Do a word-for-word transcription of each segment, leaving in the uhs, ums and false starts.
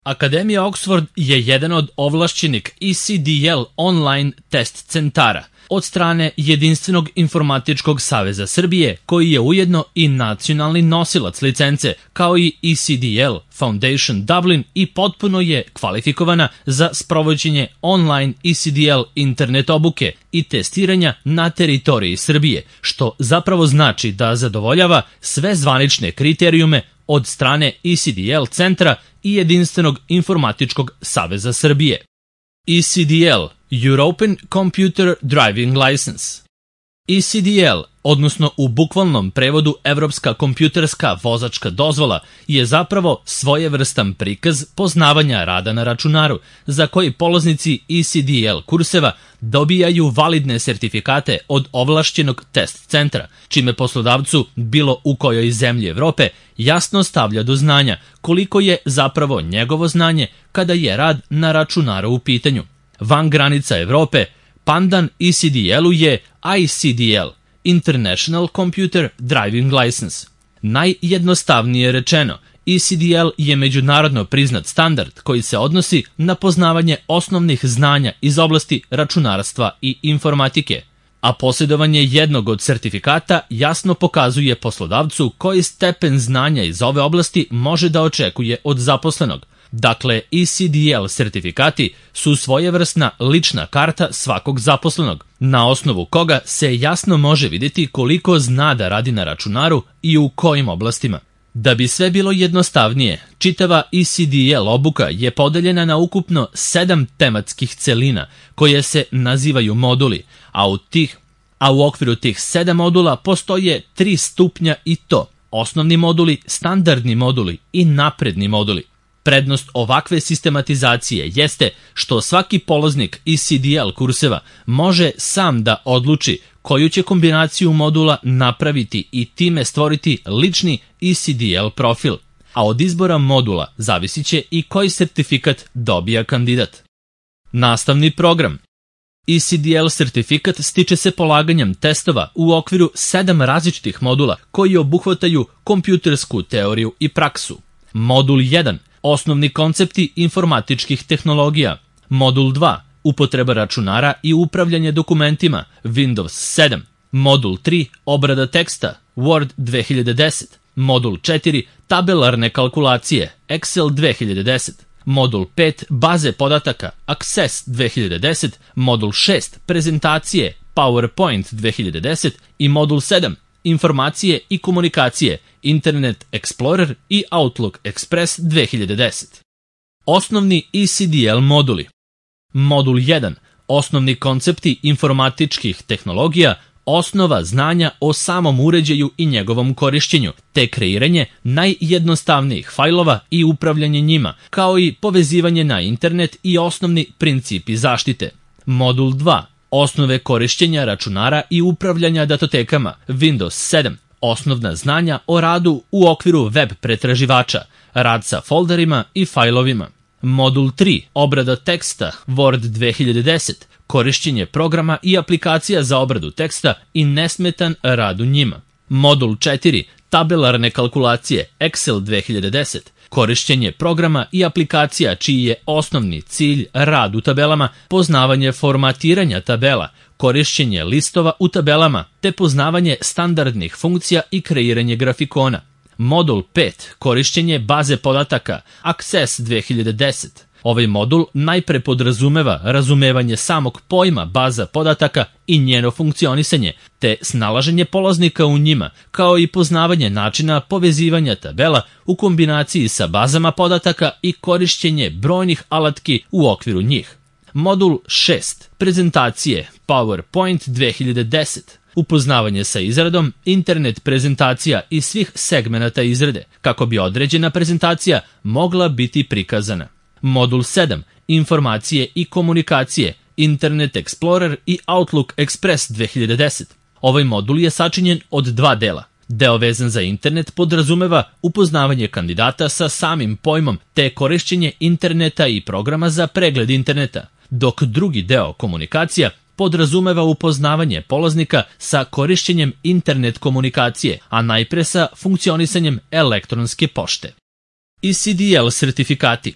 Akademija Oxford je jedan od ovlašćenih E C D L online test centara od strane Jedinstvenog informatičkog saveza Srbije, koji je ujedno i nacionalni nosilac licence, kao i E C D L Foundation Dublin, i potpuno je kvalifikovana za sprovođenje online E C D L internet obuke i testiranja na teritoriji Srbije, što zapravo znači da zadovoljava sve zvanične kriterijume od strane E C D L centra i Jedinstvenog informatičkog saveza Srbije. E C D L European Computer Driving License. E C D L, odnosno u bukvalnom prevodu Evropska kompjuterska vozačka dozvola, je zapravo svojevrstan prikaz poznavanja rada na računaru, za koji polaznici E C D L kurseva dobijaju validne sertifikate od ovlašćenog test centra, čime poslodavcu, bilo u kojoj zemlji Evrope, jasno stavlja do znanja koliko je zapravo njegovo znanje kada je rad na računaru u pitanju. Van granica Evrope, pandan E C D L-u je I C D L, International Computer Driving License. Najjednostavnije rečeno, E C D L je međunarodno priznat standard koji se odnosi na poznavanje osnovnih znanja iz oblasti računarstva i informatike, a posjedovanje jednog od sertifikata jasno pokazuje poslodavcu koji stepen znanja iz ove oblasti može da očekuje od zaposlenog. Dakle, E C D L sertifikati su svojevrsna lična karta svakog zaposlenog, na osnovu koga se jasno može vidjeti koliko zna da radi na računaru i u kojim oblastima. Da bi sve bilo jednostavnije, čitava E C D L obuka je podeljena na ukupno sedam tematskih celina koje se nazivaju moduli, a u, tih, a u okviru tih sedam modula postoje tri stupnja, i to osnovni moduli, standardni moduli i napredni moduli. Prednost ovakve sistematizacije jeste što svaki polaznik E C D L kurseva može sam da odluči koju će kombinaciju modula napraviti i time stvoriti lični E C D L profil, a od izbora modula zavisit će i koji sertifikat dobija kandidat. Nastavni program. E C D L sertifikat stiče se polaganjem testova u okviru sedam različitih modula koji obuhvataju kompjutersku teoriju i praksu. Modul jedan. Osnovni koncepti informatičkih tehnologija. Modul dva. Upotreba računara i upravljanje dokumentima. Windows sedam. Modul tri. Obrada teksta. Word dve hiljade deset. Modul četiri. Tabelarne kalkulacije. Excel dve hiljade deset. Modul pet. Baze podataka. Access dve hiljade deset. Modul šest. Prezentacije. PowerPoint dve hiljade deset. I modul sedam. Informacije i komunikacije, Internet Explorer i Outlook Express dve hiljade deset. Osnovni E C D L moduli. Modul jedan. Osnovni koncepti informatičkih tehnologija, osnova znanja o samom uređaju i njegovom korišćenju, te kreiranje najjednostavnijih fajlova i upravljanje njima, kao i povezivanje na internet i osnovni principi zaštite. Modul dva. Osnove korišćenja računara i upravljanja datotekama, Windows sedam, osnovna znanja o radu u okviru web pretraživača, rad sa folderima i fajlovima. Modul tri. Obrada teksta, Word dve hiljade deset, korišćenje programa i aplikacija za obradu teksta i nesmetan rad u njima. Modul četiri. Tabelarne kalkulacije, Excel dve hiljade deset, korišćenje programa i aplikacija čiji je osnovni cilj rad u tabelama, poznavanje formatiranja tabela, korišćenje listova u tabelama, te poznavanje standardnih funkcija i kreiranje grafikona. Modul pet. Korišćenje baze podataka, Access dve hiljade deset. Ovaj modul najpre podrazumeva razumevanje samog pojma baza podataka i njeno funkcionisanje, te snalaženje polaznika u njima, kao i poznavanje načina povezivanja tabela u kombinaciji sa bazama podataka i korišćenje brojnih alatki u okviru njih. Modul šest. Prezentacije, PowerPoint dve hiljade deset. Upoznavanje sa izradom, internet prezentacija i svih segmenata izrade, kako bi određena prezentacija mogla biti prikazana. Modul sedam. Informacije i komunikacije, Internet Explorer i Outlook Express dve hiljade deset. Ovaj modul je sačinjen od dva dela. Deo vezan za internet podrazumeva upoznavanje kandidata sa samim pojmom te korišćenje interneta i programa za pregled interneta, dok drugi deo, komunikacija, podrazumeva upoznavanje polaznika sa korišćenjem internet komunikacije, a najpre sa funkcionisanjem elektronske pošte. E C D L sertifikati.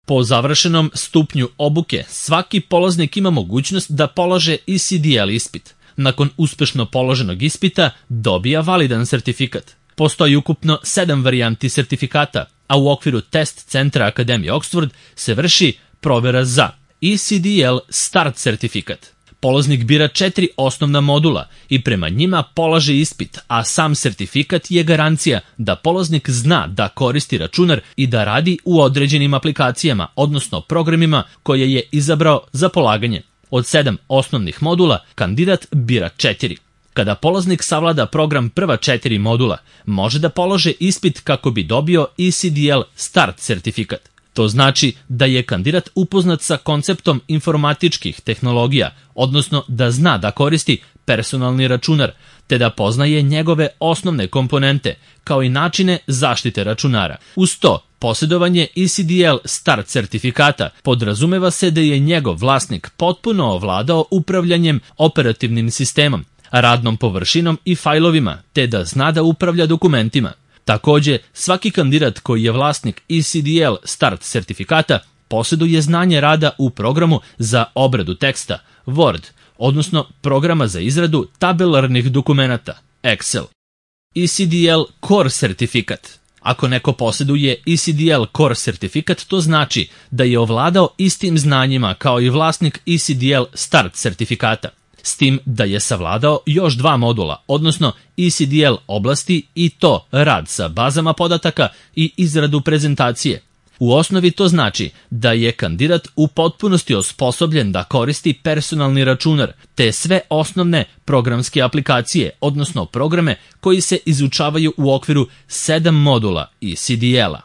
Po završenom stupnju obuke, svaki polaznik ima mogućnost da polaže E C D L ispit. Nakon uspešno položenog ispita dobija validan sertifikat. Postoji ukupno sedam varijanti sertifikata, a u okviru test centra Akademije Oxford se vrši provera za E C D L Start sertifikat. Polaznik bira četiri osnovna modula i prema njima polaže ispit, a sam sertifikat je garancija da polaznik zna da koristi računar i da radi u određenim aplikacijama, odnosno programima koje je izabrao za polaganje. Od sedam osnovnih modula, kandidat bira četiri. Kada polaznik savlada program prva četiri modula, može da polože ispit kako bi dobio E C D L Start sertifikat. To znači da je kandidat upoznat sa konceptom informatičkih tehnologija, odnosno da zna da koristi personalni računar, te da poznaje njegove osnovne komponente, kao i načine zaštite računara. Uz to, posjedovanje E C D L Start sertifikata podrazumeva se da je njegov vlasnik potpuno ovladao upravljanjem operativnim sistemom, radnom površinom i fajlovima, te da zna da upravlja dokumentima. Takođe, svaki kandidat koji je vlasnik E C D L Start sertifikata posjeduje znanje rada u programu za obradu teksta, Word, odnosno programa za izradu tabelarnih dokumenata, Excel. E C D L Core sertifikat. Ako neko posjeduje E C D L Core sertifikat, to znači da je ovladao istim znanjima kao i vlasnik E C D L Start sertifikata, s tim da je savladao još dva modula, odnosno E C D L oblasti i to rad sa bazama podataka i izradu prezentacije. U osnovi to znači da je kandidat u potpunosti osposobljen da koristi personalni računar, te sve osnovne programske aplikacije, odnosno programe koji se izučavaju u okviru sedam modula E C D L-a.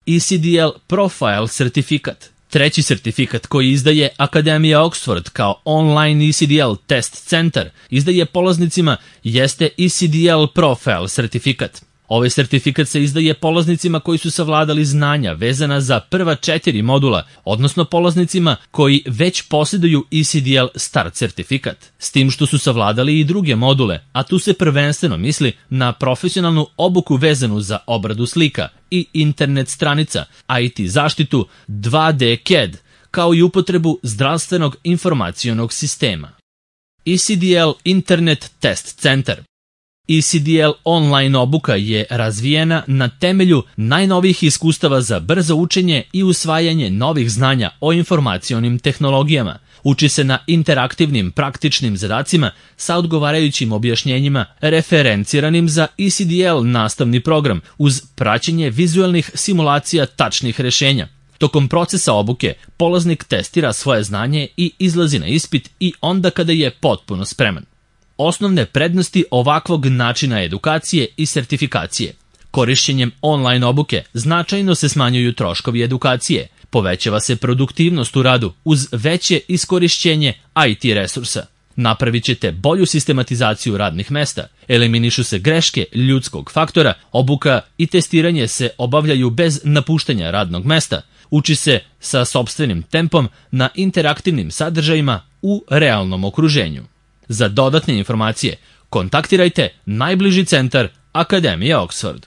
E C D L Profile sertifikat. Treći sertifikat koji izdaje Akademija Oxford kao online E C D L test centar izdaje polaznicima jeste E C D L Profile sertifikat. Ovaj sertifikat se izdaje polaznicima koji su savladali znanja vezana za prva četiri modula, odnosno polaznicima koji već posjeduju E C D L Start sertifikat, s tim što su savladali i druge module, a tu se prvenstveno misli na profesionalnu obuku vezanu za obradu slika i internet stranica, I T zaštitu, dva D C A D, kao i upotrebu zdravstvenog informacionog sistema. E C D L Internet Test Centar. E C D L online obuka je razvijena na temelju najnovijih iskustava za brzo učenje i usvajanje novih znanja o informacionim tehnologijama. Uči se na interaktivnim praktičnim zadacima sa odgovarajućim objašnjenjima referenciranim za E C D L nastavni program uz praćenje vizuelnih simulacija tačnih rešenja. Tokom procesa obuke, polaznik testira svoje znanje i izlazi na ispit i onda kada je potpuno spreman. Osnovne prednosti ovakvog načina edukacije i sertifikacije. Korišćenjem online obuke značajno se smanjuju troškovi edukacije, povećava se produktivnost u radu uz veće iskorišćenje I T resursa. Napravit ćete bolju sistematizaciju radnih mesta, eliminišu se greške ljudskog faktora, obuka i testiranje se obavljaju bez napuštanja radnog mesta, uči se sa sopstvenim tempom na interaktivnim sadržajima u realnom okruženju. Za dodatne informacije kontaktirajte najbliži centar Akademije Oxford.